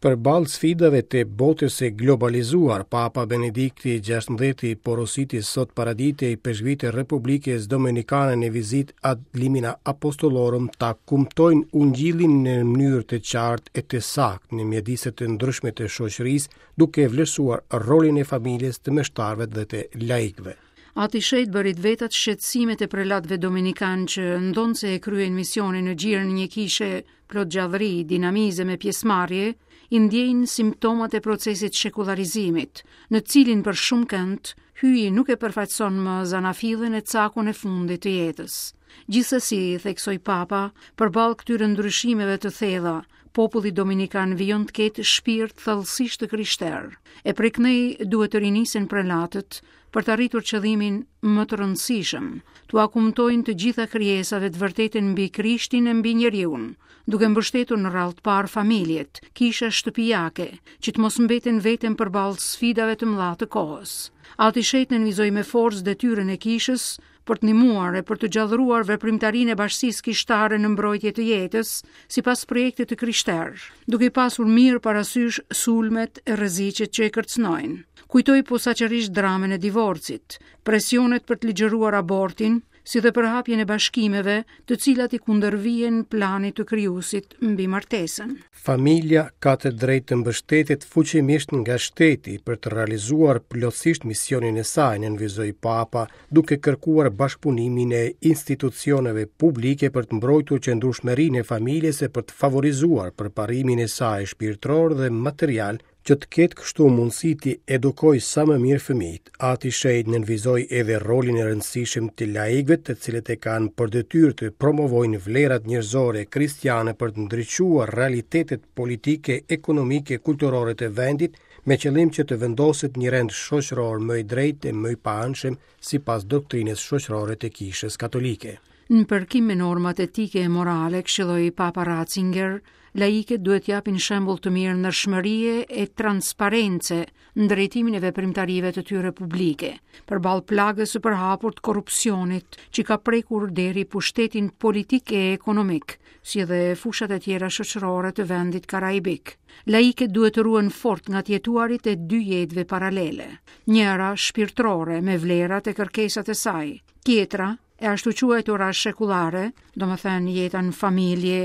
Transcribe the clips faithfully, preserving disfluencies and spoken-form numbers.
Përballë sfidave të botës së globalizuar, Papa Benedikti gjashtëmbëdhjetë porositi sot paradite ipeshkvit e Republikës Dominikane në vizitë ad limina apostolorum ta kumtojnë ungjillin në mënyrë të qartë e të saktë në mjedise të ndryshme të shoqërisë, duke vlerësuar rolin e familjes, të meshtarëve dhe të laikëve. Ati i Shenjtë bëri të vetat shqetësimet e prelatëve dominikanë që ndonëse e kryen misionin në gjirin e një kishe plot gjallëri, dinamizëm e pjesëmarrje, i ndjejnë simptomat e procesit shekullarizimit, në cilin për shumë kënd, hyji nuk e përfaqëson më zanafillën e cakun e fundit të jetës. Gjithsesi, theksoi Papa, përballë këtyre ndryshimeve të thella, populli dominikan vijon të ketë shpirt thellësisht të krishterë. E prej këndej duhet të rinisin prelatët për të arritur qëllimin më të rëndësishëm, t'ua kumtojnë të gjitha krijesave të vërtetën mbi Krishtin e mbi njeriun, duke mbështetur në radhë të parë familjet, kisha shtëpiake, që të mos mbeten vetëm përballë sfidave të mëdha të kohës. Ati i Shenjtë nënvizoi me forcë detyrën e kishës për të ndihmuar e për të gjallëruar veprimtarinë e bashkësisë kishtare në mbrojtje të jetës, sipas projektit të krishterë, duke i pasur mirë parasysh sulmet e rreziqet që e kërcënojnë. Kujtoi posaçërisht dramën e divorcit, presionet për të ligjëruar abortin, si dhe përhapjen e bashkimeve, të cilat i kundërvihen planit të krijuesit mbi martesën. Familja ka të drejtë të mbështetet fuqimisht nga shteti për të realizuar plotësisht misionin e saj, nënvizoi Papa, duke kërkuar bashkëpunimin e institucioneve publike për të mbrojtur qëndrueshmërinë e familjes e për të favorizuar përparimin e saj shpirtëror dhe material, që të ketë kështu mundësi të edukojë sa më mirë fëmijët. Ati i Shenjtë nënvizoi edhe rolin e rëndësishëm të laikëve, të cilët e kanë për detyrë të promovojnë vlerat njerëzore kristiane për të ndriçuar realitetet politike, ekonomike, kulturore të vendit, me qëllim që të vendoset një rend shoqëror më i drejtë e më i paanshëm sipas doktrinës shoqërore të Kishës Katolike. Në përkim me normat etike e morale, këshilloi Papa Ratzinger, laikët duhet japin shembull të mirë ndershmërie e transparence në drejtimin e veprimtarive të tyre publike, përballë plagës së përhapur të korrupsionit që ka prekur deri pushtetin politik e ekonomik, si dhe fushat e tjera shoqërore të vendit karaibik. Laikët duhet të ruhen fort nga të jetuarit e dy jetëve paralele, njëra shpirtërore me vlerat e kërkesat e saj, tjetra e ashtu quajtura shekullare, domethënë jeta në familje,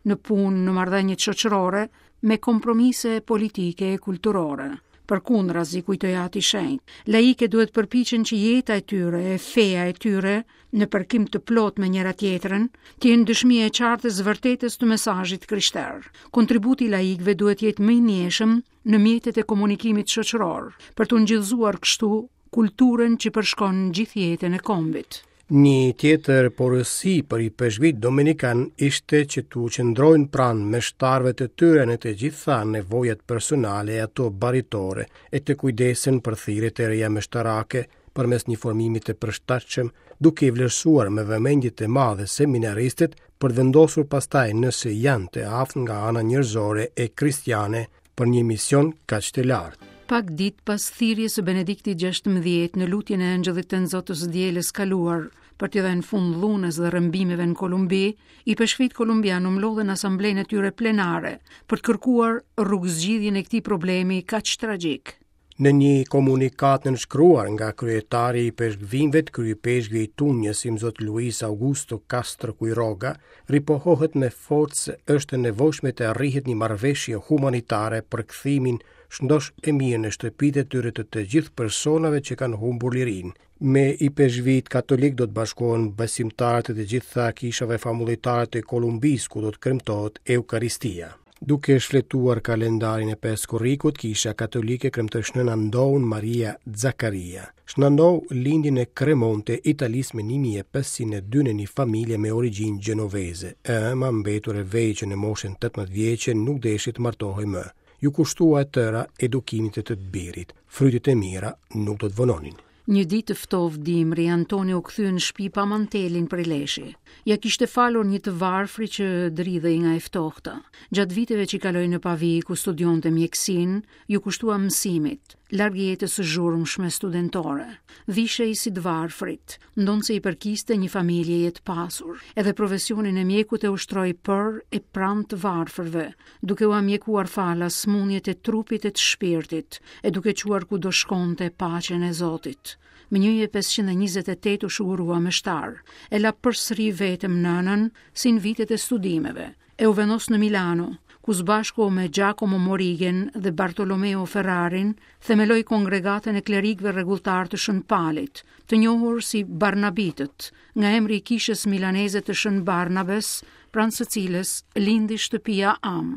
në punë, në marrëdhëniet shoqërore, me kompromise politike e kulturore. Përkundrazi, kujtoi Ati i Shenjtë, laikët duhet përpiqen që jeta e tyre, e feja e tyre, në përkim të plot me njëra tjetrën, të jenë dëshmi e qartë e së vërtetës të mesazhit krishter. Kontributi i laikëve duhet jetë më i ndjeshëm në mjetet e komunikimit shoqëror, për të ngjallëzuar kështu kulturën që përshkon gjithë jetën e kombit. Një tjetër porosi për ipeshkvit dominikan ishte që t'u qëndrojnë pranë meshtarëve të tyre në të gjitha nevojat personale e ato baritore e të kujdesen për thirrjet e reja meshtarake përmes një formimi të përshtatshëm, duke i vlerësuar me vëmendje të madhe seminaristët për të vendosur pastaj nëse janë të aftë nga ana njerëzore e kristiane për një mision kaq të lartë. Pak ditë pas thirrjes së Benediktit gjashtëmbëdhjetë në lutjen e Engjëllit të Nxotës së dielës kaluar për t'i dhënë fund dhunës dhe rrëmbimeve në Kolumbi, ipeshkvit kolumbian u mblodhën në asamblenë e tyre plenare për të kërkuar rrugëzgjidhjen e këtij problemi kaq tragjik. Në një komunikatë nënshkruar nga kryetari i ipeshkvinjve, kryepeshkvi i Tunjës, Imzot Luis Augusto Castro Quiroga, ripohohet me forcë se është e nevojshme të arrihet një marrëveshje humanitare për kthimin shëndosh e mirë në shtëpitë e tyre të të gjithë personave që kanë humbur lirinë. Me ipeshkvit katolik do të bashkohen besimtarët e të gjitha kishave famullitare të Kolumbisë, ku do të kremtohet Eukaristia. Duke shfletuar kalendarin e pesë korrikut, Kisha Katolike kremtoi Shën Andoun Maria Zakaria. Shën Andou lindi në Cremonte, Italisë më një mijë e pesëqind e dy në një familje me origjinë gjenoveze. E ëma, mbetur e vejë që në moshën tetëmbëdhjetë vjeçe, nuk deshi të martohej më. Ju kushtua e tëra edukimit të të birit. Frytet e mira nuk do të vononin. Një ditë të ftohtë dimri, Antoni u kthye në shtëpi pa mantelin prej leshi. Ja kishte falur një të varfri që dridhej nga e ftohta. Gjatë viteve që kaloi në Pavi, ku studionte mjekësinë, ju kushtua mësimit, larg jetës së zhurmshme studentore. Vishej si të varfrit, ndonëse i përkiste një familjeje të pasur. Edhe profesionin e mjekut e ushtroi për e pranë të varfërve, duke ua mjekuar falas sëmundjet e trupit e të shpirtit, e duke çuar kudo shkonte paqen e Zotit. Më një mijë e pesëqind e njëzet e tetë u shugurua meshtar, e la përsëri vetëm nënën si në vitet e studimeve, e u vendos në Milano, ku së bashku me Giacomo Morigen dhe Bartolomeo Ferrarin themeloi kongregatën e klerikëve rregulltar të Shën Palit, të njohur si Barnabitët, nga emri i kishës milaneze të Shën Barnabes, pranë së cilës lindi shtëpia Am.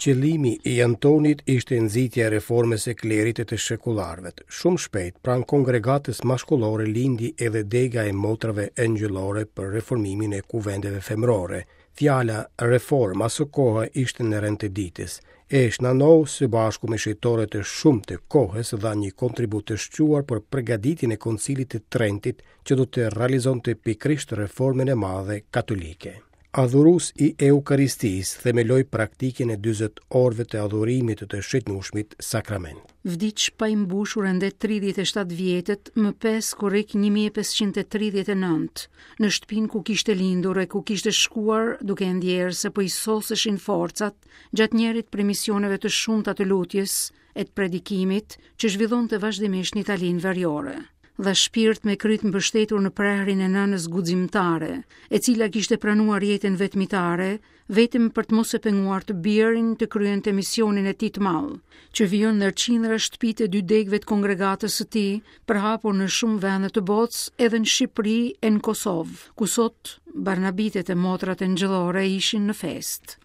Qëllimi i Antonit ishte nxitja e reformës së klerit e të shekullarëve. Shumë shpejt, pranë kongregatës mashkullore lindi edhe dega e motrave engjëllore për reformimin e kuvendeve femërore. Fjala reform aso kohe ishte në rend të ditës. E Shnanou së bashku me shejtorët e shumtë të kohës dha një kontribut të shquar për përgatitjen e Koncilit të Trentit që do të realizonte pikërisht reformën e madhe katolike. Adhurues i Eukaristisë themeloi praktikën e dyzet orëve të adhurimit të të shëtnueshmit sakrament. Vdiq pa i mbushur ende tridhjetë e shtatë vjetët më pesë korrik një mijë e pesëqind e tridhjetë e nëntë, në shtëpinë ku kishte lindur e ku kishte shkuar duke e ndjerë se po i soseshin forcat gjatë njërit prej misioneve të shumta të lutjes e të predikimit që zhvillonte vazhdimisht në Italinë veriore. Dha shpirt me kryt mbështetur në prehrin e nënës guximtare, e cila kishte pranuar jetën vetmitare, vetëm për të mos e penguar të birin të kryente misionin e tij të madh, që vijon ndër qindra shtëpitë e dy degëve të kongregatës së tij, përhapur në shumë vende të botës, edhe në Shqipëri e në Kosovë, ku sot Barnabitet e motrat engjëllore ishin në festë.